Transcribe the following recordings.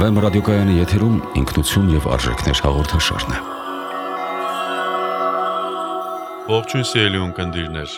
Վեմ ռադիոկայանի եթերում ինքնություն եւ արժեքներ հաղորդաշարն է։ Ողջույն սիրելի ունկնդիրներ։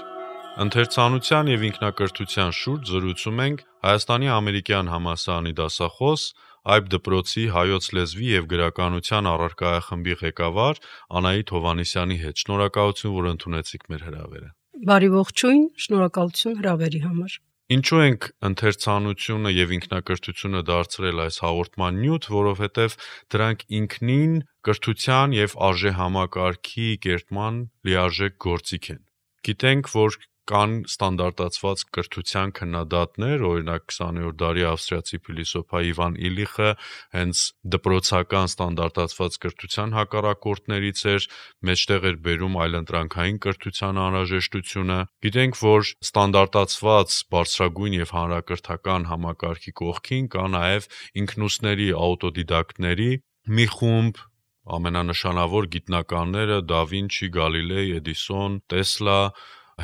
Ընթերցանության եւ ինքնակրթության շուրջ զրուցում ենք Հայաստանի ամերիկյան համալսարանի դասախոս, Այբ դպրոցի հայոց լեզվի եւ գրականության առարկայախմբի ղեկավար Անահիտ Հովհաննիսյանի հետ։ Շնորհակալություն, որ ընդունեցիք մեր հրավերը։ Բարի ողջույն, շնորհակալություն հրավերի համար։ Ինչու ենք ընթերցանությունը եւ ինքնակրթությունը դարձրել այս հաղորդման նյութ, որովհետեւ դրանք ինքնին կրթության եւ արժեհամակարգի կերտման լիարժեք գործիք են։ Գիտենք, որ կան ստանդարտացված կրթության քննադատներ, օրինակ 20-րդ դարի ավստրիացի փիլիսոփա Իվան Իլիխը հենց դպրոցական ստանդարտացված կրթության հակառակորդներից էր, մեջտեղ էր բերում այլընտրանքային կրթության անհրաժեշտությունը։ Գիտենք, որ ստանդարտացված բարձրագույն եւ հանրակրթական համակարգի կողքին կա նաեւ ինքնուսների աուտոդիդակտների մի խումբ, ամենանշանավոր գիտնականները դա Վինչի, Գալիլեյ, Էդիսոն, Տեսլա,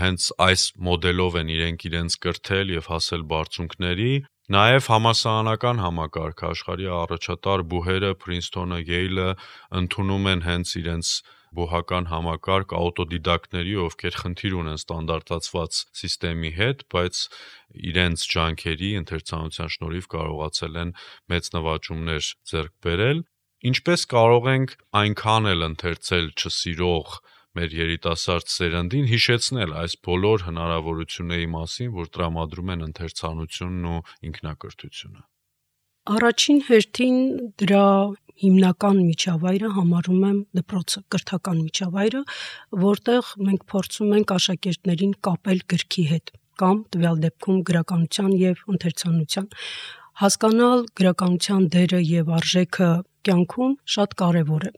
հենց այս մոդելով են իրենց կրթել եւ հասել բարձունքների, նաեւ համալսարանական համակարգը աշխարհի առաջատար բուհերը Փրինսթոնը, Յեյլը ընդունում են հենց իրենց բուհական համակարգ աուտոդիդակտների, ովքեր խնդիր ունեն ստանդարտացված համակարգի հետ, բայց իրենց ջանքերի ընթերցանության շնորհիվ կարողացել են մեծ նվաճումներ ձեռք բերել։ Ինչպես կարող ենք այնքան էլ ընթերցել չսիրող մեր երիտասարդ սերնդին հիշեցնել այս բոլոր հնարավորությունների մասին, որ տրամադրում են ընթերցանությունն ու ինքնակրթությունը։ Առաջին հերթին դրա հիմնական միջավայրը համարում եմ դպրոցը, կրթական միջավայրը, որտեղ մենք փորձում ենք աշակերտներին կապել գրքի հետ կամ տվյալ դեպքում գրականության եւ ընթերցանության։ Հասկանալ գրականության դերը եւ արժեքը կյանքում շատ կարեւոր է։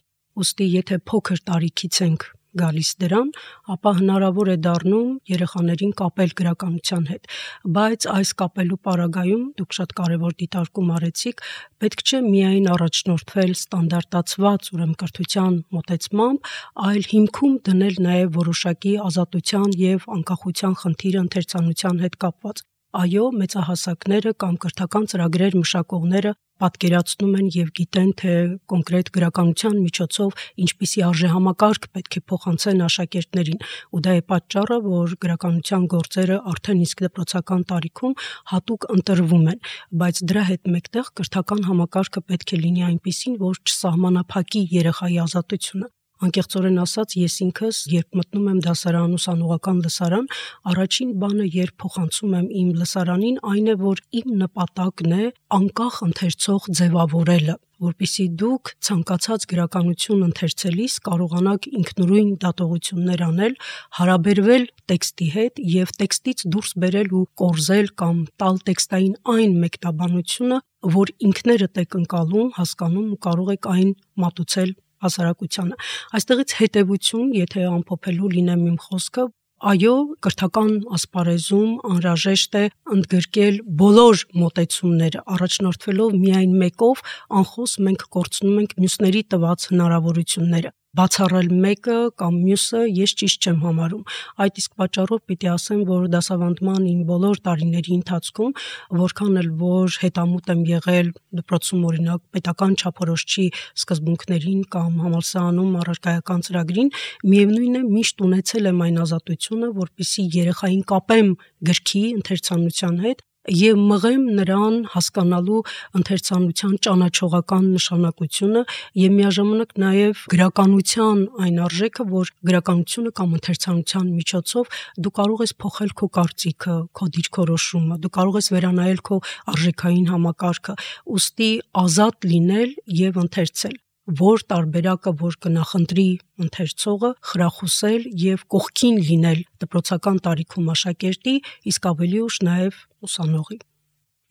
Ուստի եթե փոքր տարիքից ենք գալիս դրան, ապա հնարավոր է դառնում երեխաներին կապել գրականության հետ, բայց այս կապելու պարագայում դուք շատ կարևոր դիտարկում արեցիք, պետք չէ միայն առաջնորդվել ստանդարտացված ուրեմն կրթության մոտեցմամբ, այլ հիմքում դնել նաև որոշակի ազատության եւ անկախության խնդիրը ընթերցանության հետ կապված։ Այո, մեծահասակները կամ կրթական ծրագրեր մշակողները պատկերացնում են եւ գիտեն, թե կոնկրետ գրականության միջոցով ինչպիսի արժեհամակարգ պետք է փոխանցեն աշակերտներին, ու դա է պատճառը, որ գրականության գործերը արդեն իսկ դպրոցական տարիքում հատուկ ընտրվում են, բայց դրա հետ մեկտեղ կրթական համակարգը պետք է լինի այնպիսին, որ չսահմանափակի երեխայի ազատությունը։ Անկեղծորեն ասած, ես ինքս, երբ մտնում եմ դասարան, ուսանողական լսարան, առաջին բանը, երբ փոխանցում եմ իմ լսարանին, այն է, որ իմ նպատակն է անկախ ընթերցող ձևավորելը, որպեսզի դուք ցանկացած գրականություն ընթերցելիս կարողանաք ինքնուրույն դատողություններ անել, հարաբերվել տեքստի հետ եւ տեքստից դուրս բերել ու կորզել կամ տալ տեքստային այն մեկնաբանությունը, որ ինքներդ եք ընկալում, հասկանում ու կարող եք այն մատուցել հասարակությանը։ Այստեղից հետևություն, եթե ամփոփելու լինեմ իմ խոսքը, այո, կրթական ասպարեզում անհրաժեշտ է ընդգրկել բոլոր մոտեցումները, առաջնորդվելով միայն մեկով, անխոս մենք կորցնում ենք մյուսների տված հնարավորությունները։ Բացառել մեկը կամ մյուսը ես ճիշտ չեմ համարում։ Այդ իսկ պատճառով պիտի ասեմ, որ դասավանդման իմ բոլոր տարիների ընթացքում, որքան էլ որ հետամուտ եմ եղել դպրոցում օրինակ պետական չափորոշչի սկզբունքներին կամ համալսարանում առարկայական ծրագրին, միևնույն է միշտ ունեցել եմ այն ազատությունը, որպեսզի երեխային կապեմ գրքի ընթերցանության հետ եւ մղեմ նրան հասկանալու ընթերցանության ճանաչողական նշանակությունը եւ միաժամանակ նաեւ գրականության այն արժեքը, որ գրականությունը կամ ընթերցանության միջոցով դու կարող ես փոխել քո կարծիքը, քո դիրքորոշումը, դու կարող ես վերանայել քո արժեքային համակարգը, ուստի ազատ լինել եւ ընթերցել, որ տարբերակը որ կնախընտրի ընթերցողը, խրախուսել եւ կողքին լինել դպրոցական տարիքում աշակերտի, իսկ ավելի ուշ նաեւ ուսանողի։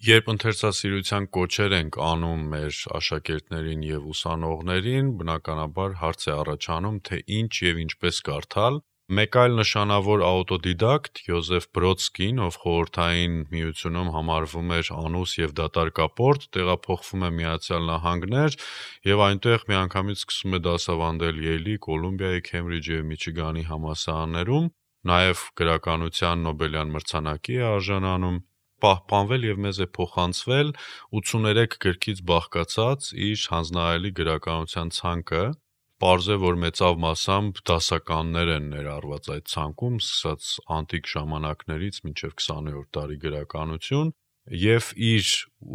Երբ ընթերցասիրության կոչեր ենք անում մեր աշակերտներին եւ ուսանողներին, բնականաբար հարց է առաջանում, թե ինչ եւ ինչպես կարդալ։ Մեկ այլ նշանավոր աուտոդիդակտ Յոզեֆ Բրոդսկին, ով խորհրդային միությունում համարվում էր անուս եւ դատարկապորտ, տեղափոխվում է Միացյալ Նահանգներ եւ այնտեղ միանգամից սկսում է դասավանդել Յեյլի, Կոլումբիայի, Քեմբրիջի եւ Միչիգանի համալսարաններում, նաեւ գրականության Նոբելյան մրցանակի է արժանանում։ պահպանվել եւ մեզ է փոխանցվել 83 գրքից բաղկացած իր հանձնարարելի գրականության ցանկը։ Պարզ է, որ մեծավ մասամբ դասականներ են ներառված այդ ցանկում, սկսած անտիկ ժամանակներից մինչև 20-րդ դարի գրականություն, եւ իր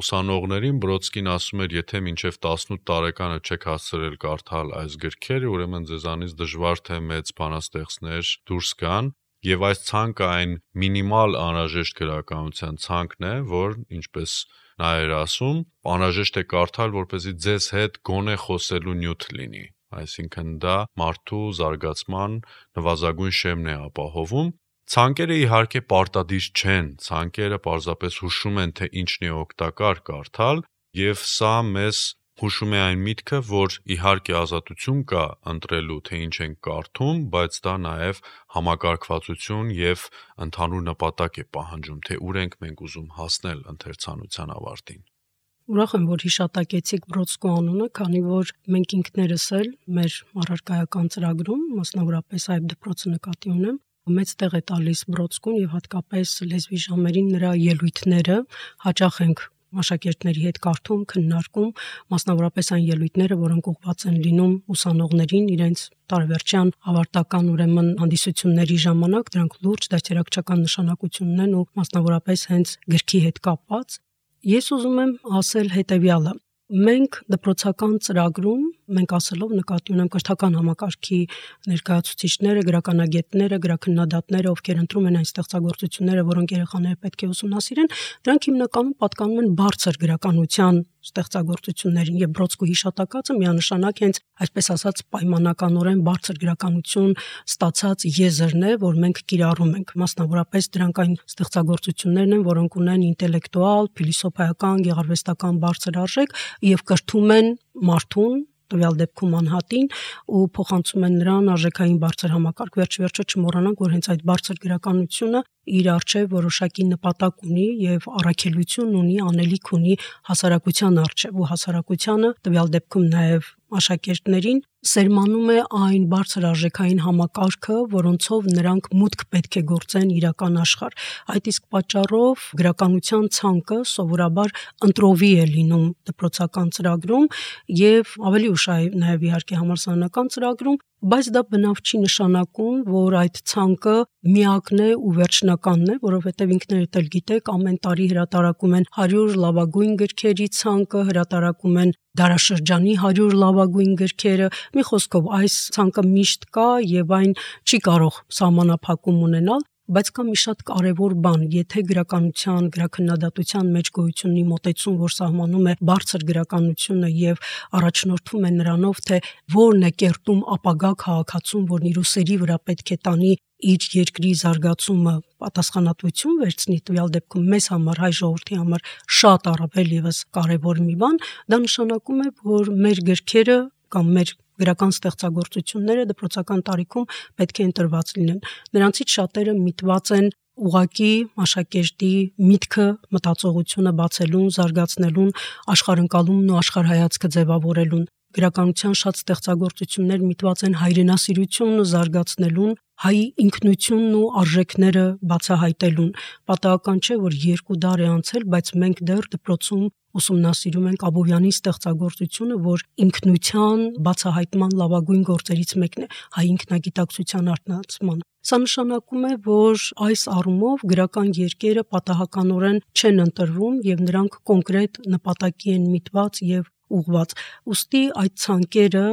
ուսանողներին Բրոդսկին ասում էր, եթե մինչև 18 տարեկանը չեք հասցրել կարդալ այս գրքերը, ուրեմն ձեզանից դժվար թե մեծ բանաստեղծներ դուրս գան, եւ այս ցանկը այն մինիմալ անհրաժեշտ գրականության ցանկն է, որ ինչպես նա էր ասում, անհրաժեշտ է կարդալ, որպեսզի ձեզ հետ գոնե խոսելու նյութ լինի, այսինքն դա մարդու զարգացման նվազագույն շեմն է ապահովում։ Ցանկերը իհարկե պարտադիր չեն, ցանկերը պարզապես հուշում են, թե ինչն է օգտակար կարդալ, եւ սա մեզ հուշում է այն միտքը, որ իհարկե ազատություն կա ընտրելու, թե ինչ ենք կարդում, բայց դա նաեւ համակարգվածություն եւ ընդհանուր նպատակ է պահանջում, թե ուր ենք մենք ուզում հասնել ընթերցանության ավարտին։ Ուրախ եմ, որ հիշատակեցիք Բրոդսկու անունը, քանի որ մենք ինքներս էլ մեր առարկայական ծրագրում, մասնավորապես այդ դպրոցը նկատի ունեմ, մեծ տեղ է տալիս Բրոդսկուն եւ հատկապես լեզվի ժամերին նրա ելույթները հաճախ ենք աշակերտների հետ կարդում, քննարկում, մասնավորապես այն ելույթները, որոնք ուղղված են լինում ուսանողներին իրենց տարեվերջյան ավարտական ուրեմն հանդիսությունների ժամանակ, դրանք լուրջ դաստիարակչական նշանակություն ունեն ու մասնավորապես հենց գրքի հետ կապված։ Ես ուզում եմ ասել հետեւյալը. մենք դպրոցական ծրագրում մենք ասելով նկատի ունեմ կրթական համակարգի ներկայացուցիչները, գրականագետները, գրաքննադատները, ովքեր ընտրում են այն ստեղծագործությունները, որոնք երեխաները պետք է ուսումնասիրեն, դրանք հիմնականում պատկանում են բարձր գրականության ստեղծագործություններին եւ Բրոդսկու հիշատակածը միանշանակ հենց այսպես ասած պայմանականորեն բարձր գրականություն ստացած եզրն է, որ մենք կիրառում ենք, մասնավորապես դրանք այն ստեղծագործություններն են, որոնք ունեն ինտելեկտուալ, փիլիսոփայական, գեղարվեստական բարձր արժեք եւ կրթում են մարդուն տվյալ դեպքում անհատին ու փոխանցում են նրան արժեքային բարձր համակարգ։ Վերջ-վերջը չմոռանանք, որ հենց այդ բարձր գրականությունը իր արժեվ որոշակի նպատակ ունի եւ առաքելություն ունի, անելիք ունի հասարակության արժեվ ու հասարակությանը տվյալ դեպքում նաեւ աշակերտներին սերմանում է այն բարձր արժեքային համակարգը, որոնցով նրանք մուտք պետք է գործեն իրական աշխարհ։ Այդ իսկ պատճառով գրականության ցանկը սովորաբար ընտրովի է լինում դպրոցական ծրագրում եւ ավելի ուշ նաեւ իհարկե համալսարանական ծրագրում, բայց դա բնավ չի նշանակում, որ այդ ցանկը միակն է ու վերջնականն է, որովհետև ինքներդ էլ գիտեք, ամեն տարի հրատարակում են 100 լավագույն գրքերի ցանկը, հրատարակում են դարաշրջանի 100 լավագույն գրքերը։ Մի խոսքով, այս ցանկը միշտ կա եւ այն չի կարող սահմանափակում ունենալ, բայց կա մի շատ կարևոր բան, եթե գրականության, գրաքննադատության մեջ գոյություն ունի մոտեցում, որ սահմանում է բարձր գրականությունը եւ առաջնորդվում է նրանով, թե որն է կերտում ապագա քաղաքացուն, որն իր ուսերի վրա պետք է տանի իր երկրի զարգացումը, պատասխանատվություն վերցնի, տվյալ դեպքում մեզ համար, հայ ժողովրդի համար շատ առավել եւս կարևոր մի բան, դա նշանակում է, որ մեր գրքերը կամ մեր գրական ստեղծագործությունները դպրոցական տարիքում պետք է ընտրված լինեն։ Նրանցից շատերը միտված են ուղակի աշակերտի միտքը, մտածողությունը բացելուն, զարգացնելուն, աշխարհընկալումն ու աշխարհայացքը ձևավորելուն։ Գրականության շատ ստեղծագործություններ միտված են հայրենասիրությունը զարգացնելուն, հայի ինքնությունն ու արժեքները բացահայտելուն։ Պատահական չէ, որ 2 դար է անցել, բայց մենք դեռ դպրոցում ուսումնասիրում ենք Աբովյանի ստեղծագործությունը, որ ինքնության բացահայտման լավագույն գործերից մեկն է, հայ ինքնագիտակցության արտնացման։ Սա նշանակում է, որ այս առումով գրական երկերը պատահականորեն չեն ընտրվում եւ նրանք կոնկրետ նպատակի են միտված եւ ուղղված։ Ուստի այդ ցանկերը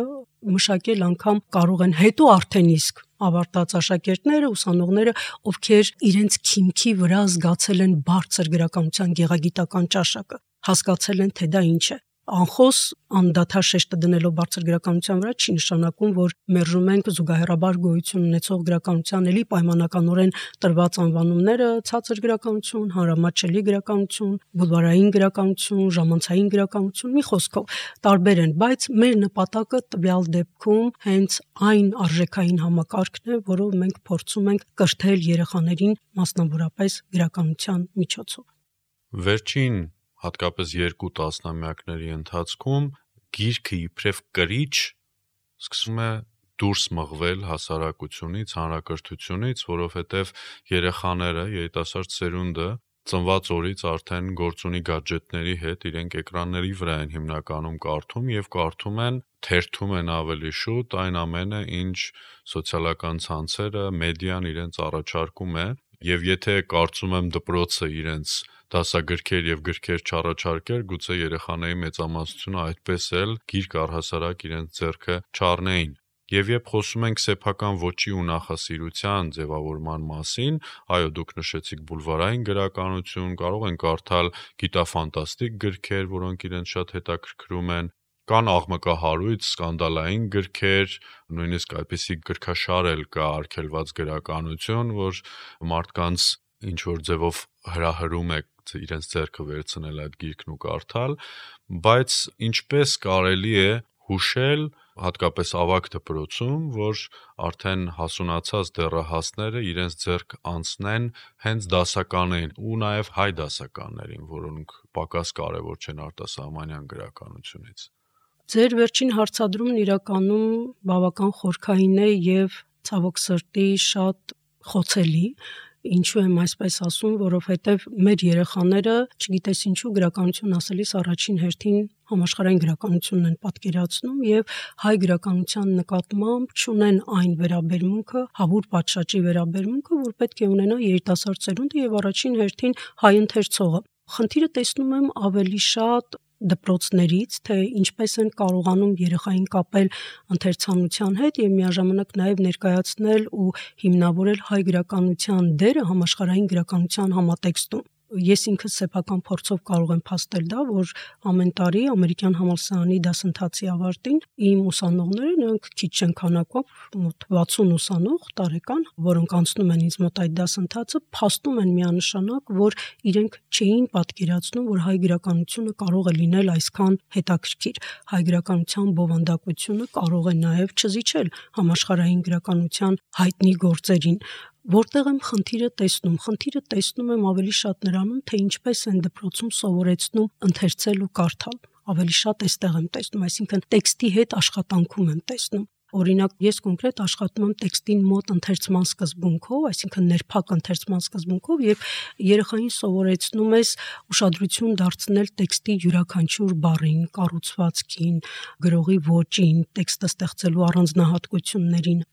մշակել անգամ կարող են հետո արդեն իսկ ավարտած աշակերտները, ուսանողները, ովքեր իրենց քիմքի վրա զգացել են բարձր գրականության գեղագիտական ճաշակը, հասկացել են, թե դա ինչ է։ Անխոս անդադար շեշտը դնելով բարձր գրականության վրա չի նշանակում, որ մերժում ենք զուգահեռաբար գոյություն ունեցող գրականության էլի պայմանականորեն տրված անվանումները՝ ցածր գրականություն, հանրամատչելի գրականություն, բուլվարային գրականություն, ժամանցային գրականություն, մի խոսքով տարբեր են, բայց մեր նպատակը տվյալ դեպքում հենց այն արժեքային համակարգն է, որով մենք փորձում ենք կրթել երեխաներին, մասնավորապես գրականության միջոցով։ Վերջին հատկապես 2 տասնամյակների ընթացքում գիրքը իբրև կրիչ սկսում է դուրս մղվել հասարակությունից, հանրակրթությունից, որովհետև երեխաները, երիտասարդ սերունդը ծնված օրից արդեն գործ ունի գadgetների հետ, իրենք էկրանների վրա են հիմնականում կարդում եւ կարդում են, թերթում են ավելի շուտ այն ամենը, ինչ սոցիալական ցանցերը, մեդիան իրենց առաջարկում է, եւ եթե կարծում եմ դպրոցը իրենց դասագրքեր եւ գրքեր չառաջարկեր, գուցե երեխաների մեծամասնությունը այդպես էլ գիրք առհասարակ իրենց ձեռքը չառնեին։ Եվ երբ խոսում ենք սեփական ոճի ու նախասիրության ձևավորման մասին, այո, դուք նշեցիք բուլվարային գրականություն, կարող են կարդալ գիտաֆանտաստիկ գրքեր, որոնք իրենց շատ հետաքրքրում են, կան աղմկահարույց, սկանդալային գրքեր, նույնիսկ այդպիսի գրքաշար էլ կա արգելված գրականություն, որ մարդկանց ինչ որ ձևով հրահրում է իրենց ձեռքը վերցնել այդ գիրքն ու կարդալ, բայց ինչպես կարելի է հուշել հատկապես ավագ դպրոցում, որ արդեն հասունացած դեռահասները իրենց ձեռք անցնեն հենց դասականներին ու նաև հայ դասականներին, որոնք պակաս կարևոր չեն արտասահմանյան գրականությունից։ Ձեր վերջին հարցադրումն իրականում բավական խորքային է եւ ցավոք սրտի շատ խոցելի։ Ինչու եմ այսպես ասում, որովհետև մեր երեխաները, չգիտես ինչու, գրականություն ասելիս առաջին հերթին համաշխարհային գրականությունն են պատկերացնում եւ հայ գրականության նկատմամբ չունեն այն վերաբերմունքը, հավուր պատշաճի վերաբերմունքը, որ պետք է ունենա երիտասարդ սերունդը եւ առաջին հերթին հայ ընթերցողը։ Խնդիրը տեսնում եմ ավելի շատ դպրոցներից, թե ինչպես են կարողանում երեխային կապել ընթերցանության հետ եւ միաժամանակ նաեւ ներկայացնել ու հիմնավորել հայ գրականության դերը համաշխարհային գրականության համատեքստում։ Ես ինքս սեփական փորձով կարող եմ փաստել դա, որ ամեն տարի ամերիկյան համալսարանի դասընթացի ավարտին իմ ուսանողները, նրանք քիչ չեն քանակով, մոտ 60 ուսանող տարեկան, որոնք անցնում են ինձ մոտ այդ դասընթացը, փաստում են միանշանակ, որ իրենք չէին պատկերացնում, որ հայ գրականությունը կարող է լինել այսքան հետաքրքիր։ Հայ գրականության բովանդակությունը կարող է նաև չզիջել համաշխարհային գրականության հայտնի գործերին։ Որտեղ եմ խնդիրը տեսնում եմ ավելի շատ նրանում, թե ինչպես են դպրոցում սովորեցնում ընթերցել ու կարդալ։ Ավելի շատ այստեղ եմ տեսնում, այսինքն տեքստի հետ աշխատանքում եմ տեսնում։ Օրինակ, ես կոնկրետ աշխատում եմ տեքստին մոտ ընթերցման սկզբունքով, այսինքն ներփակ ընթերցման սկզբունքով, եւ երեխային սովորեցնում ես ուշադրություն դարձնել տեքստի յուրաքանչյուր բառին, կառուցվածքին, գրողի ոճին, տեքստը ստեղծելու առանձնահատկություններին։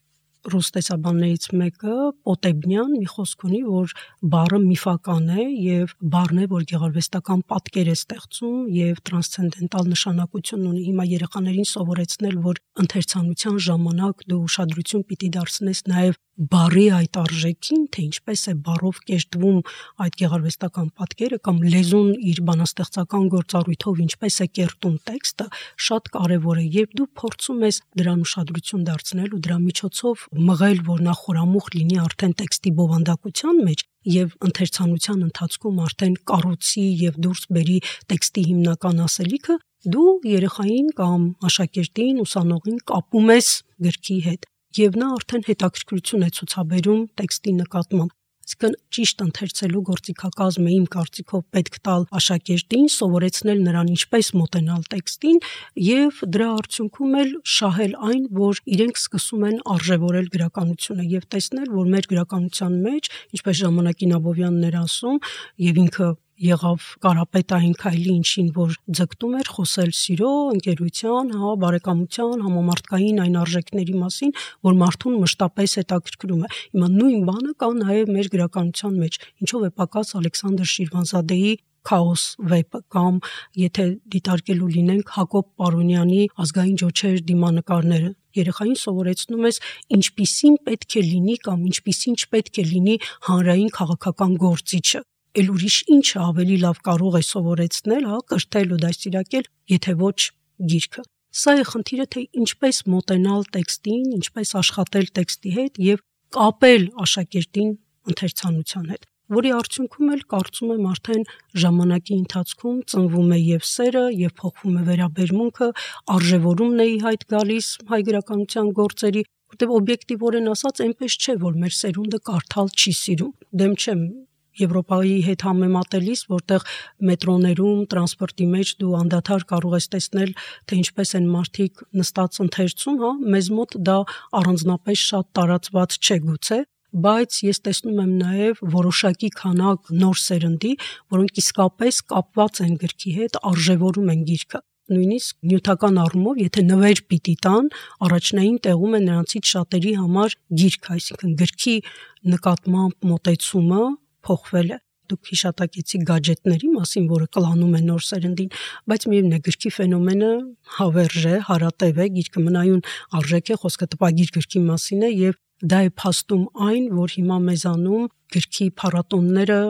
Ռուս տեսաբաններից մեկը Պոտեբնյան մի խոսք ունի, որ բառը միֆական է եւ բառն է, որ գեղարվեստական պատկեր է ստեղծում եւ տրանսցենդենտալ նշանակություն ունի։ Հիմա երեխաներին սովորեցնել, որ ընթերցանության ժամանակ դու ուշադրություն պիտի դարձնես նաեւ բառի այդ արժեքին, թե ինչպես է բառով կերտվում այդ գեղարվեստական պատկերը կամ լեզուն իր բանաստեղծական գործառույթով ինչպես է կերտում տեքստը, շատ կարեւոր է, երբ դու փորձում ես դրան ուշադրություն դարձնել ու դրա միջոցով մղել, որ նա խորամուխ լինի արդեն տեքստի բովանդակության մեջ եւ ընթերցանության ընթացքում արդեն կառուցի եւ դուրս բերի տեքստի հիմնական ասելիքը, դու երեխային կամ աշակերտին, ուսանողին կապում ես գրքի հետ եւ նա արդեն հետաքրքրություն է ցուցաբերում տեքստի նկատմամբ։ Այսինքն ճիշտ ընթերցելու գործիքակազմը իմ կարծիքով պետք տալ աշակերտին, սովորեցնել նրան ինչպես մոտենալ տեքստին եւ դրա արդյունքում էլ շահել այն, որ իրենք սկսում են արժևորել գրականությունը եւ տեսնել, որ մեր գրականության մեջ, ինչպես Ժամանակին Աբովյանն էր ասում, եւ ինքը եղավ կարապետային քայլի, ինչին որ ձգտում էր խոսել սիրո, ընկերության, բարեկամության, համամարտկային այն արժեքների մասին, որ մարդուն մշտապես հետաքրքրում է։ Հիմա նույն բանը կա նաև մեր գրականության մեջ, ինչով է պակաս Ալեքսանդր Շիրվանզադեի Քաոս վեպը կամ եթե դիտարկելու լինենք Հակոբ Պարոնյանի Ազգային ջոչեր դիմանկարները։ Երեխային սովորեցնում ես ինչպիսին պետք է լինի կամ ինչպիսին չպետք է լինի հանրային քաղաքական գործիչը։ Էլ ուրիշ ինչը ավելի լավ կարող է սովորեցնել, կրթել ու դաստիարակել, եթե ոչ գիրքը։ Սա է խնդիրը, թե ինչպես մոտենալ տեքստին, ինչպես աշխատել տեքստի հետ եւ կապել աշակերտին ընթերցանության հետ, որի արդյունքում էլ կարծում եմ արդեն ժամանակի ընթացքում ծնվում է եւ սերը, եւ փոխվում է վերաբերմունքը, արժևորումն է ի հայտ գալիս հայ գրականության գործերի, որտեղ օբյեկտիվորեն ասած այնպես չէ, որ մեր սերունդը կարդալ չի սիրում։ Դեմ չեմ Եվրոպայի հետ համեմատելիս, որտեղ մետրոներում, տրանսպորտի մեջ դու անդադար կարող ես տեսնել, թե ինչպես են մարդիկ նստած ընթերցում, մեզ մոտ դա առանձնապես շատ տարածված չէ գուցե, բայց ես տեսնում եմ նաև որոշակի քանակ նոր սերնդի, որոնք իսկապես կապված են գրքի հետ, արժևորում են գիրքը։ Նույնիսկ նյութական առումով, եթե նվեր պիտի տան, առաջնային տեղում է նրանցից շատերի համար գիրք, այսինքն գրքի նկատմամբ մոտեցումը փոխվել է։ Դուք հիշատակեցիք գadgetների մասին, որը կլանում է նոր սերնդին, բայց միևնույն է, գրքի ֆենոմենը հավերժ է, հարատև է, գիրքը մնայուն արժեք է, խոսքը տպագիր գրքի մասին է, եւ դա է փաստում այն, որ հիմա մեզանում գրքի փառատոնները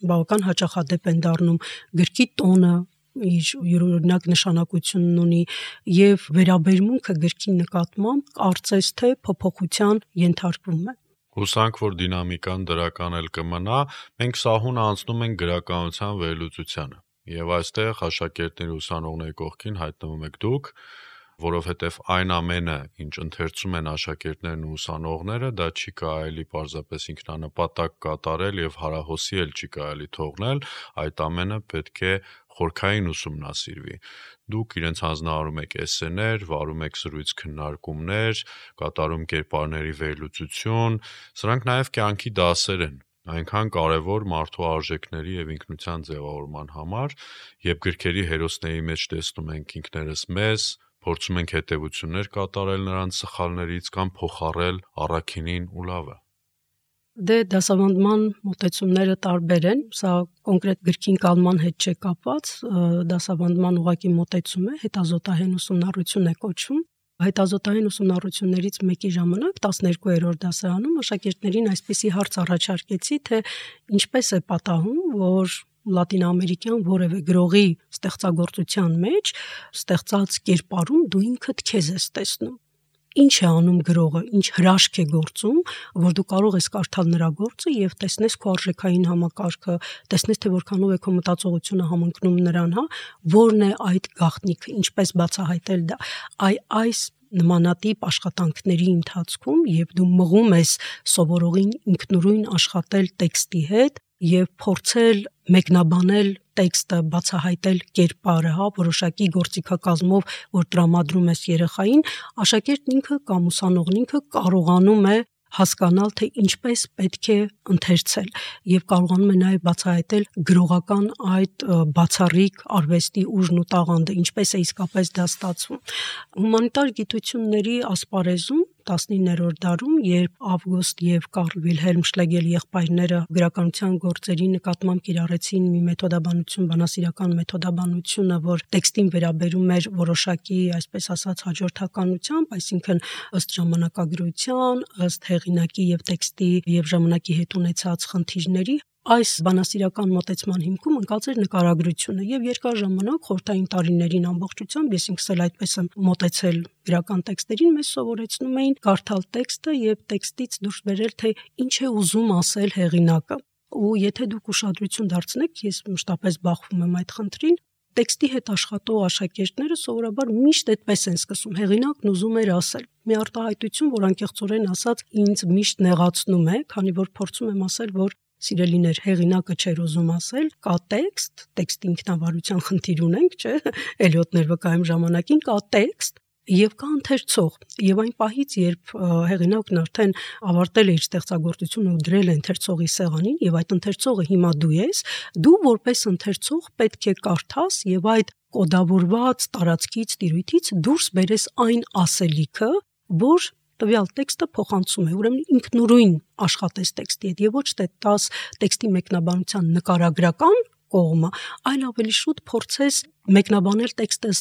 բավական հաճախադեպ են դառնում, գրքի տոնը իր յուրօրինակ նշանակությունն ունի եւ վերաբերմունքը գրքի նկատմամբ կարծես թե փոփոխության ենթարկվում է։ Հուսանք, որ դինամիկան դրական էլ կմնա, մենք սահուն անցնում ենք գրականության վերլուծությանը։ Եվ այստեղ աշակերտների ուսանողների կողքին հայտնվում եք դուք, որովհետև այն ամենը, ինչ ընթերցում են աշակերտներն ու ուսանողները, դա չի կարելի պարզապես ինքնանպատակ կատարել եւ հարահոսի էլ չի կարելի թողնել, այդ ամենը պետք է խորքային ուսումնասիրվի։ Դուք իրենց հանձնարարում եք էսսեներ, վարում եք զրույց քննարկումներ, կատարում կերպարների վերլուծություն, սրանք նաև կյանքի դասեր են, այնքան կարևոր մարդու արժեքների եւ ինքնության ձևավորման համար, երբ գրքերի հերոսների մեջ տեսնում ենք ինքներս մեզ, փորձում ենք հետևություններ կատարել նրանց սխալներից կամ փոխառել առաքինին ու լավը։ Դե դասավանդման մոտեցումները տարբեր են, սա կոնկրետ գրքի ընկալման հետ չէ կապված, դասավանդման ուղղակի մոտեցում է, հետազոտահեն ուսումնառություն է կոչվում։ Հետազոտահեն ուսումնառություններից մեկի ժամանակ 12-րդ դասարանում աշակերտներին այսպիսի հարց առաջարկեցի, թե ինչպես է պատահում, որ լատինամերիկյան որևէ գրողի ստեղծագործության մեջ ստեղծած կերպարում դու ինքդ քեզ ես տեսնում։ Ինչ է անում գրողը, ինչ հրաշք է գործում, որ դու կարող ես կարդալ նրա գործը եւ տեսնես քո արժեքային համակարգը, տեսնես թե որքանով է քո մտածողությունը համընկնում նրան, որն է այդ գաղտնիքը, ինչպես բացահայտել դա։ Այս նմանատիպ աշխատանքների ընթացքում, երբ դու մղում ես սովորողին ինքնուրույն աշխատել տեքստի հետ եւ փորձել մեկնաբանել տեքստը, բացահայտել կերպարը, որոշակի գործիքակազմով, որ տրամադրում ես երեխային, աշակերտն ինքը կամ ուսանողն ինքը կարողանում է հասկանալ, թե ինչպես պետք է ընթերցել եւ կարողանում է նաեւ բացահայտել գրողական այդ բացառիկ արվեստի ուժն ու տաղանդը, ինչպես է իսկապես դա ստացվում։ Հումանիտար գիտությունների ասպարեզում 19-րդ դարում, երբ Ավգուստ եւ Կարլ Վիլհելմ Շլեգելի եղբայրները գրականության գործերի նկատմամբ կիրառեցին մի մեթոդաբանություն, բանասիրական մեթոդաբանությունը, որ տեքստին վերաբերում էր որոշակի, այսպես ասած, հաջորդականությամբ, այսինքն ըստ ժամանակագրության, ըստ հեղինակի եւ տեքստի եւ ժամանակի հետ ունեցած խնդիրների, այս բանասիրական մոտեցման հիմքում ընկած էր նկարագրությունը եւ երկար ժամանակ խորհրդային տարիներին ամբողջությամբ ես ինքս էլ այդպես եմ մոտեցել գրական տեքստերին, մեզ սովորեցնում էին կարդալ տեքստը եւ տեքստից դուրս բերել, թե ինչ է ուզում ասել հեղինակը։ Ու եթե դուք ուշադրություն դարձնեք, ես մշտապես բախվում եմ այդ խնդրին, տեքստի հետ աշխատող աշակերտները սովորաբար միշտ այդպես են սկսում, հեղինակն ուզում էր ասել։ Մի արտահայտություն, որ անկեղծորեն ասած ինձ միշտ նեղացնում է, քանի որ փորձում եմ ասել, որ սիրելիներ, հեղինակը չէր ուզում ասել, կա տեքստ, տեքստի ինքնավարության խնդիր ունենք, չէ՞, Էլիոտներ վկայում ժամանակին, կա տեքստ եւ կա ընթերցող, եւ այն պահից, երբ հեղինակն արդեն ավարտել է իր ստեղծագործությունը ու դրել է ընթերցողի սեղանին, եւ այդ ընթերցողը հիմա դու ես, դու որպես ընթերցող պետք է կարդաս եւ այդ կոդավորված տարածքից, տիրույթից դուրս բերես այն ասելիքը, որ տվյալ տեքստը փոխանցում է, ուրեմն ինքնուրույն աշխատես տեքստի հետ եւ ոչ թե տաս տեքստի մեկնաբանության նկարագրական կողմը, այլ ավելի շուտ փորձես մեկնաբանել տեքստը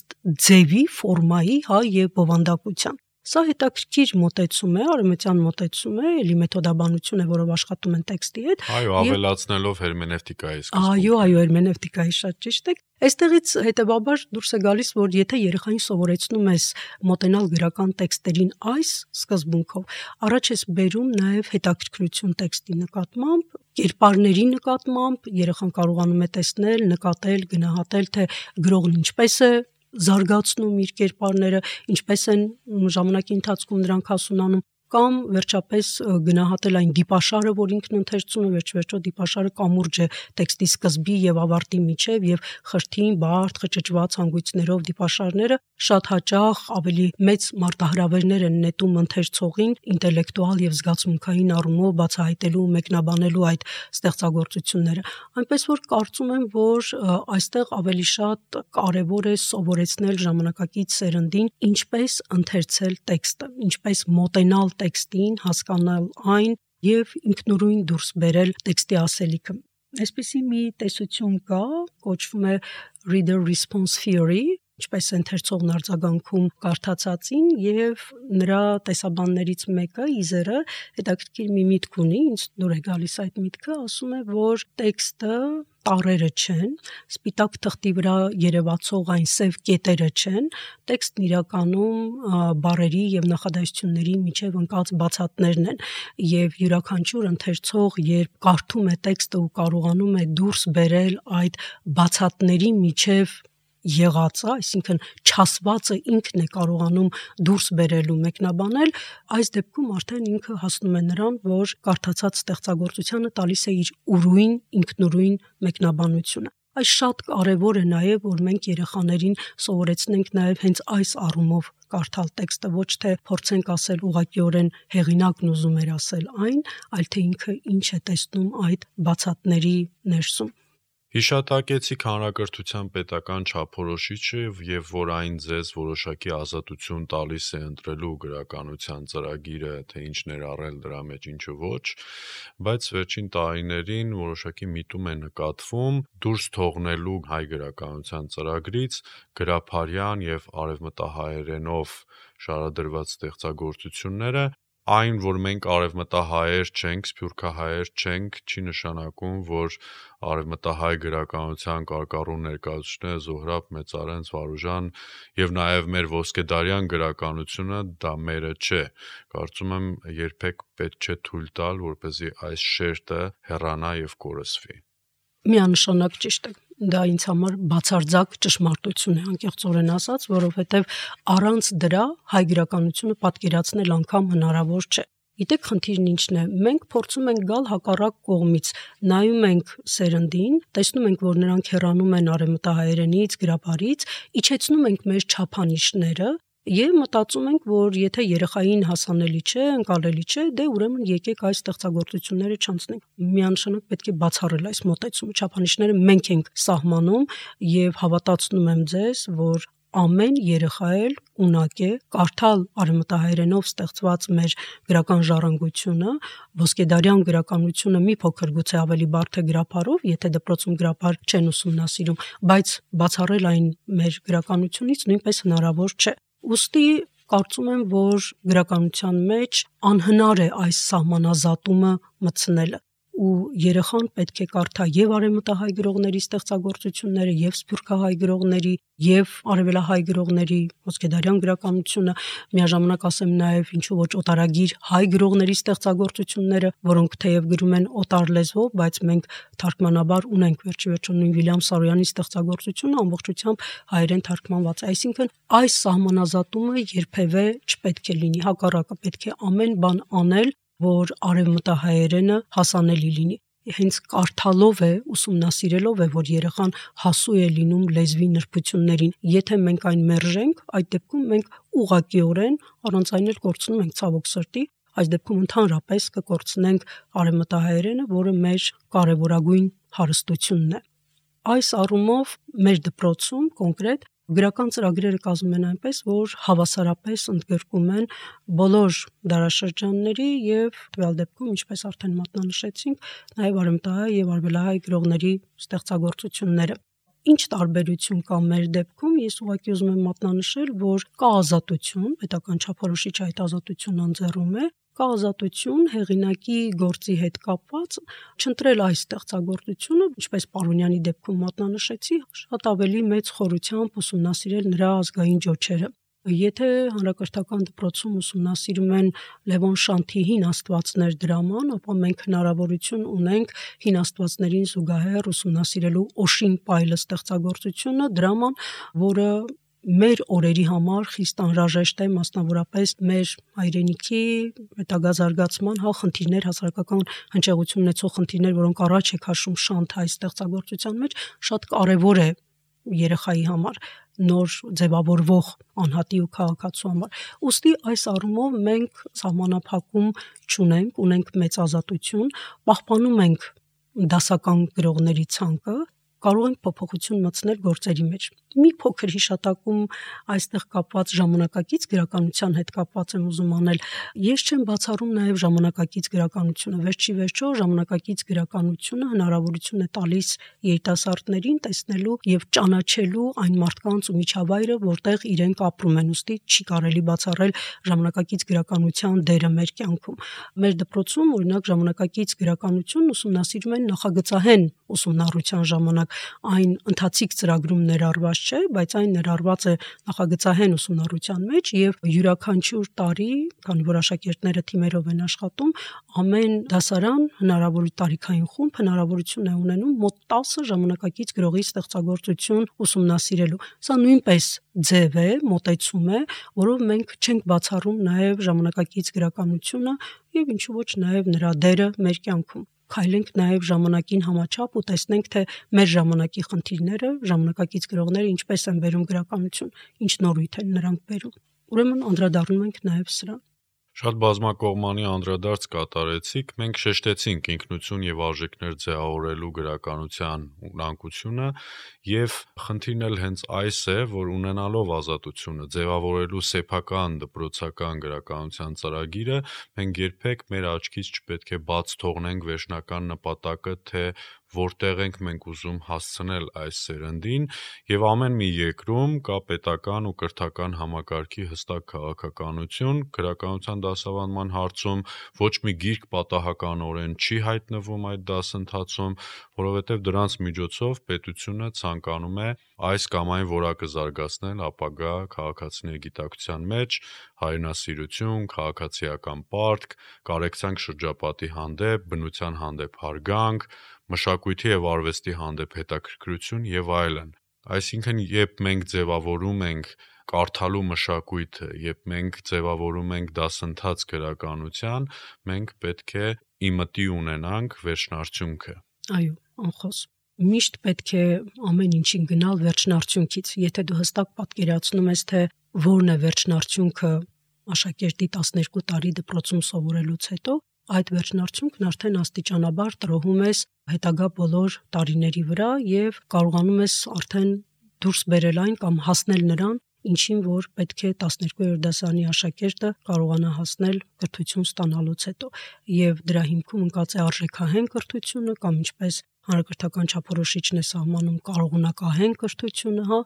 ձևի, ֆորմայի, եւ բովանդակության։ Սա հետաքրքիր մոտեցում է, արևմտյան մոտեցում է, էլի մեթոդաբանություն է, որով աշխատում են տեքստի հետ։ Այո, ավելացնելով հերմենևտիկայի սկզբունքը։ Այո, հերմենևտիկայի շատ ճիշտ է։ Այստեղից հետեւաբար դուրս է գալիս, որ եթե երեխային սովորեցնում ես մոտենալ գրական տեքստերին այս սկզբունքով, առաջ ես բերում նաև հետաքրքրություն տեքստի նկատմամբ, կերպարների նկատմամբ, երեխան կարողանում է տեսնել, նկատել, գնահատել, թե գրողն ինչպես է զարգացնում իր կերպարները, ինչպես են ժամանակի ընթացքում նրանք հասունանում, կամ վերջապես գնահատել այն դիպաշարը, որ ինքն ընթերցում է, վերջ-վերջո դիպաշարը կամուրջ է տեքստի սկզբի եւ ավարտի միջև եւ խրթին, բարդ, խճճված հանգույցներով դիպաշարները շատ հաճախ ավելի մեծ մարտահրավերներ են նետում ընթերցողին ինտելեկտուալ եւ զգացմունքային առումով բացահայտելու, մեկնաբանելու այդ ստեղծագործությունները։ Այնպես որ կարծում եմ, որ այստեղ ավելի շատ կարեւոր է սովորեցնել ժամանակակից սերնդին ինչպես ընթերցել տեքստը, ինչպես մոտենալ տեքստին, հասկանալ այն եւ ինքնուրույն դուրս բերել տեքստի ասելիքը։ Այսպիսի մի տեսություն կա, կոչվում է Reader Response Theory, ինչպես ընթերցողն արձագանքում կարդացածին, եւ նրա տեսաբաններից մեկը Իզերը հետաքրքիր մի միտք ունի, ինձ դուր է գալիս այդ միտքը, ասում է, որ տեքստը տառերը չեն, սպիտակ թղթի վրա երևացող այն սև կետերը չեն, տեքստն իրականում բառերի եւ նախադասությունների միջև ընկած բացատներն են, եւ յուրաքանչյուր ընթերցող, երբ կարդում է տեքստը ու կարողանում է դուրս բերել այդ բացատների միջև եղածը, այսինքն չասվածը ինքն է կարողանում դուրս բերել ու մեկնաբանել, այս դեպքում արդեն ինքը հասնում է նրան, որ կարդացած ստեղծագործությանը տալիս է իր ուրույն, ինքնուրույն մեկնաբանությունը։ Այս շատ կարևոր է նաև, որ մենք երեխաներին սովորեցնենք նաև հենց այս առումով կարդալ տեքստը, ոչ թե փորձենք ասել ուղղակիորեն հեղինակն ուզում էր ասել այն, այլ թե ինքը ինչ է տեսնում այդ բացատների ներսում։ Հիշատակեցիք հանրակրթության պետական չափորոշիչը եւ որ այն ձեզ որոշակի ազատություն տալիս է ընտրելու գրականության ծրագիրը, թե ինչ ներառել դրա մեջ, ինչը ոչ, բայց վերջին տարիներին որոշակի միտում է նկատվում դուրս թողնելու հայ գրականության ծրագրից գրափարյան եւ արևմտահայերենով շարադրված ստեղծագործությունները Այն, որ մենք արևմտահայեր չենք, սփյուռքահայեր չենք, չի նշանակում, որ արևմտահայ գրականության կարկառու ներկայացուցիչները Զոհրաբ, Մեծարենց, Վարուժան եւ նաեւ մեր ոսկեդարյան գրականությունը դա մերը չէ։ Կարծում եմ երբեք պետք չէ թույլ տալ, որպեսզի այս շերտը հեռանա եւ կորսվի։ Միանշանակ ճիշտ է։ Դա ինձ համար բացարձակ ճշմարտություն է, անկեղծորեն ասած, որովհետև առանց դրա հայ գրականությունը պատկերացնել անգամ հնարավոր չէ։ Գիտեք, խնդիրն ինչն է։ Մենք փորձում ենք գալ հակառակ կողմից, նայում ենք սերնդին, տեսնում ենք, որ նրանք հեռանում են արևմտահայերենից, գրաբարից, իջեցնում ենք մեր չափանիշները եւ մտածում ենք, որ եթե երեխային հասանելի չէ, ընկալելի չէ, դե ուրեմն եկեք այս ստեղծագործությունները չանցնենք։ Միանշանակ պետք է բացառել այս մոտեցումը, չափանիշները մենք ենք սահմանում եւ հավատացնում եմ ձեզ, որ ամեն երեխա էլ ունակ է կարդալ արևմտահայերենով ստեղծված մեր գրական ժառանգությունը, ոսկեդարյան գրականությունը մի փոքր գուցե ավելի բարդ է գրափարով, եթե դպրոցում գրափար չեն ուսումնասիրում, բայց բացառել այն մեր գրականությունից նույնպես հնարավոր չէ։ Ուստի կարծում եմ, որ գրականության մեջ անհնար է այս սահմանազատումը մտցնելը ու երեխան պետք է կարդա եւ արևմտահայ գրողների ստեղծագործությունները, եւ սփյուռքահայ գրողների, եւ արևելահայ գրողների ոսկեդարյան գրականությունը, միաժամանակ ասեմ նաեւ ինչու ոչ օտարագիր հայ գրողների ստեղծագործությունները, որոնք թեև գրում են օտար լեզվով, բայց մենք թարգմանաբար ունենք վերջիվերջո նույն Վիլյամ Սարոյանի ստեղծագործությունը ամբողջությամբ հայերեն թարգմանված է, այսինքն այս սահմանազատումը երբևէ չպետք է լինի, հակառակը պետք է ամեն բան անել, որ արևմտահայերենը հասանելի լինի։ Հենց կարդալով է, ուսումնասիրելով է, որ երեխան հասու է լինում լեզվի նրբություններին։ Եթե մենք այն մերժենք, այդ դեպքում մենք ուղղակիորեն առանց այն էլ կորցնում ենք ցավոք սրտի, այս դեպքում ընդհանրապես կկորցնենք արևմտահայերենը, որը մեր կարևորագույն հարստությունն է։ Այս առումով մեր դպրոցում կոնկրետ գրական ծրագրերը կազմում են այնպես, որ հավասարապես ընդգրկում են բոլոր դարաշրջանների եւ տվյալ դեպքում, ինչպես արդեն մատնանշեցինք, նաեւ արևմտահայ եւ արևելահայ գրողների ստեղծագործությունները։ Ինչ տարբերություն կա մեր դեպքում, ես ուղղակի ուզում եմ մատնանշել, որ կա ազատություն, պետական չափորոշիչը այդ ազատությունն ընձեռում է, կա ազատություն հեղինակի գործի հետ կապված չընտրել այս ստեղծագործությունը, ինչպես Պարոնյանի դեպքում մատնանշեցի, շատ ավելի մեծ խորությամբ ուսումնասիրել նրա ազգային ջոչերը։ Եթե հանրակրթական դպրոցում ուսումնասիրում են Լևոն Շանթի հին աստվածներ դրաման, ապա մենք հնարավորություն ունենք հին աստվածներին զուգահեռ ուսումնասիրելու Օշին Պայլը ստեղծագործությունը, դրաման, որը մեր օրերի համար խիստ անհրաժեշտ է, մասնավորապես մեր հայրենիքի հետագազարգացման խնդիրներ, հասարակական հնչեղություն ունեցող խնդիրներ, որոնք առաջ է քաշում շանթ հայ ստեղծագործության մեջ, շատ կարևոր է երեխայի համար, նոր ձևավորվող անհատի ու քաղաքացու համար։ Ուստի այս առումով մենք սահմանափակում չունենք, ունենք մեծ ազատություն, պահպանում ենք դասական գրողների ցանկը, կարող ենք փոփոխություն մտցնել գործերի մեջ։ Մի փոքր հիշատակում այստեղ կապված ժամանակակից գրականության հետ կապված եմ ուզում անել։ Ես չեմ բացառում նաև ժամանակակից գրականությունը։ Վերջի վերջո ժամանակակից գրականությունը հնարավորություն է տալիս երիտասարդներին տեսնելու եւ ճանաչելու այն մարդկանց ու միջավայրը, որտեղ իրենք ապրում են։ Ուստի չի կարելի բացառել ժամանակակից գրականության դերը մեր կյանքում։ Մեր դպրոցում օրինակ ժամանակակից գրականությունն ուսումնասիրում են նախագծահեն ուսումնառության ժամանակ, այն ընթացիկ ծրագրում ներառված չէ, բայց այն ներառված է նախագծահեն ուսումնառության մեջ եւ յուրաքանչյուր տարի, քանի որ աշակերտները թիմերով են աշխատում, ամեն դասարան հնարավոր տարիքային խումբ հնարավորություն է ունենում մոտ 10 ժամանակակից գրողի ստեղծագործություն ուսումնասիրելու։ Սա նույնպես ձև է, մոտեցում է, որով մենք չենք բացառում նաև ժամանակակից գրականությունը եւ ինչու ոչ նաև նրա դերը մեր կյանքում։ Քայլենք նաև ժամանակին համաչափ ու տեսնենք, թե մեր ժամանակի խնդիրները, ժամանակակից գրողները ինչպես են բերում գրականություն, ինչ նորույթ են նրանք բերում։ Ուրեմն անդրադառնում ենք նաև սրան։ Շատ բազմակողմանի անդրադարձ կատարեցիք, մենք շեշտեցինք ինքնություն եւ արժեքներ ձևավորելու գրականության ունակությունը եւ խնդիրն էլ հենց այս է, որ ունենալով ազատությունը ձևավորելու սեփական դպրոցական գրականության ծրագիրը, մենք երբեք մեր աչքից չպետք է բաց թողնենք վերջնական նպատակը, թե որտեղ ենք մենք ուզում հասցնել այս սերնդին եւ ամեն մի երկրում կա պետական ու կրթական համակարգի հստակ քաղաքականություն, գրականության դասավանդման հարցում ոչ մի գիրք պատահականորեն չի հայտնվում այդ դասընթացում, որովհետև դրանց միջոցով պետությունը ցանկանում է այս կամ այն որակը զարգացնել ապագա քաղաքացիների գիտակցության մեջ, հայրենասիրություն, քաղաքացիական պարտք, կարեկցանք շրջապատի հանդեպ, բնության հանդեպ հարգանք, մշակույթի եւ արվեստի հանդեպ հետաքրքրություն եւ այլն։ Այսինքն, երբ մենք ձևավորում ենք կարդալու մշակույթը, երբ մենք ձևավորում ենք դասընթաց գրականության, մենք պետք է իմտի ունենանք վերջնարդյունքը։ Այո, անխոս։ Միշտ պետք է ամեն ինչին գնալ վերջնարդյունքից։ Եթե դու հստակ պատկերացնում ես, թե որն է վերջնարդյունքը աշակերտի 12 տարի դպրոցում սովորելուց հետո, այդ վերջնարդյունքն արդեն աստիճանաբար տրոհում ես հետագա բոլոր տարիների վրա եւ կարողանում ես արդեն դուրս բերել այն կամ հասնել նրան, ինչին որ պետք է 12-րդ դասարանի աշակերտը կարողանա հասնել կրթություն ստանալուց հետո, եւ դրա հիմքում ընկած է արժեքահեն կրթությունը կամ ինչպես հանրակրթական չափորոշիչն է սահմանում կարողունակահեն կրթությունը,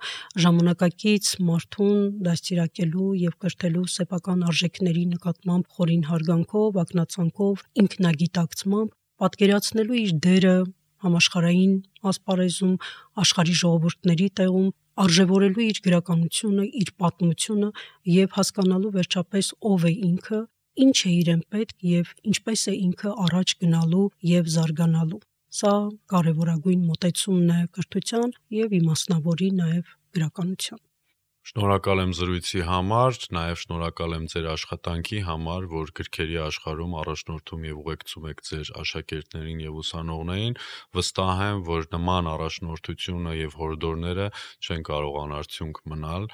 ժամանակակից մարդուն դաստիարակելու եւ կրթելու սեփական արժեքների նկատմամբ խորին հարգանքով, ակնածանքով, ինքնագիտակցմամբ, պատկերացնելու իր դերը համաշխարհային ասպարեզում, աշխարհի ժողովուրդների տեղում, արժևորելու իր գրականությունը, իր պատմությունը եւ հասկանալու վերջապես ով է ինքը, ինչ է իրեն պետք եւ ինչպես է ինքը առաջ գնալու եւ զարգանալու։ Սա կարևորագույն մոտեցումն է կրթության եւ իմաստնավորի նաեւ գրականության։ Շնորհակալ եմ զրույցի համար, նաև շնորհակալ եմ ձեր աշխատանքի համար, որ գրքերի աշխարհում առաջնորդում եւ ուղեկցում եք ձեր աշակերտներին եւ ուսանողներին։ Վստահ եմ, որ նման առաջնորդությունը եւ հորդորները չեն կարող անարդյունք մնալ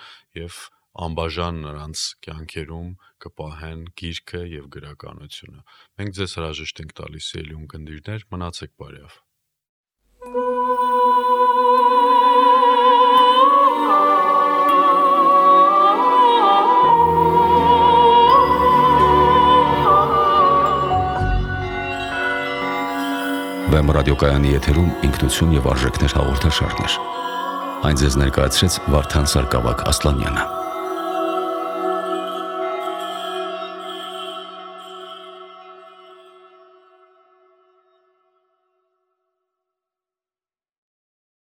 եւ անբաժան նրանց կյանքերում կպահեն գիրքը եւ գրականությունը։ Մենք ձեզ հրաժեշտ ենք տալիս ելուն գնդիրներ, մնացեք բարյավ։ Վեմ ռադիոկայանի եթերում ինքնություն եւ արժեքներ հաղորդաշարներ։ Այն ձեզ ներկայացրեց Վարդան Սարգսակ Ասլանյանը։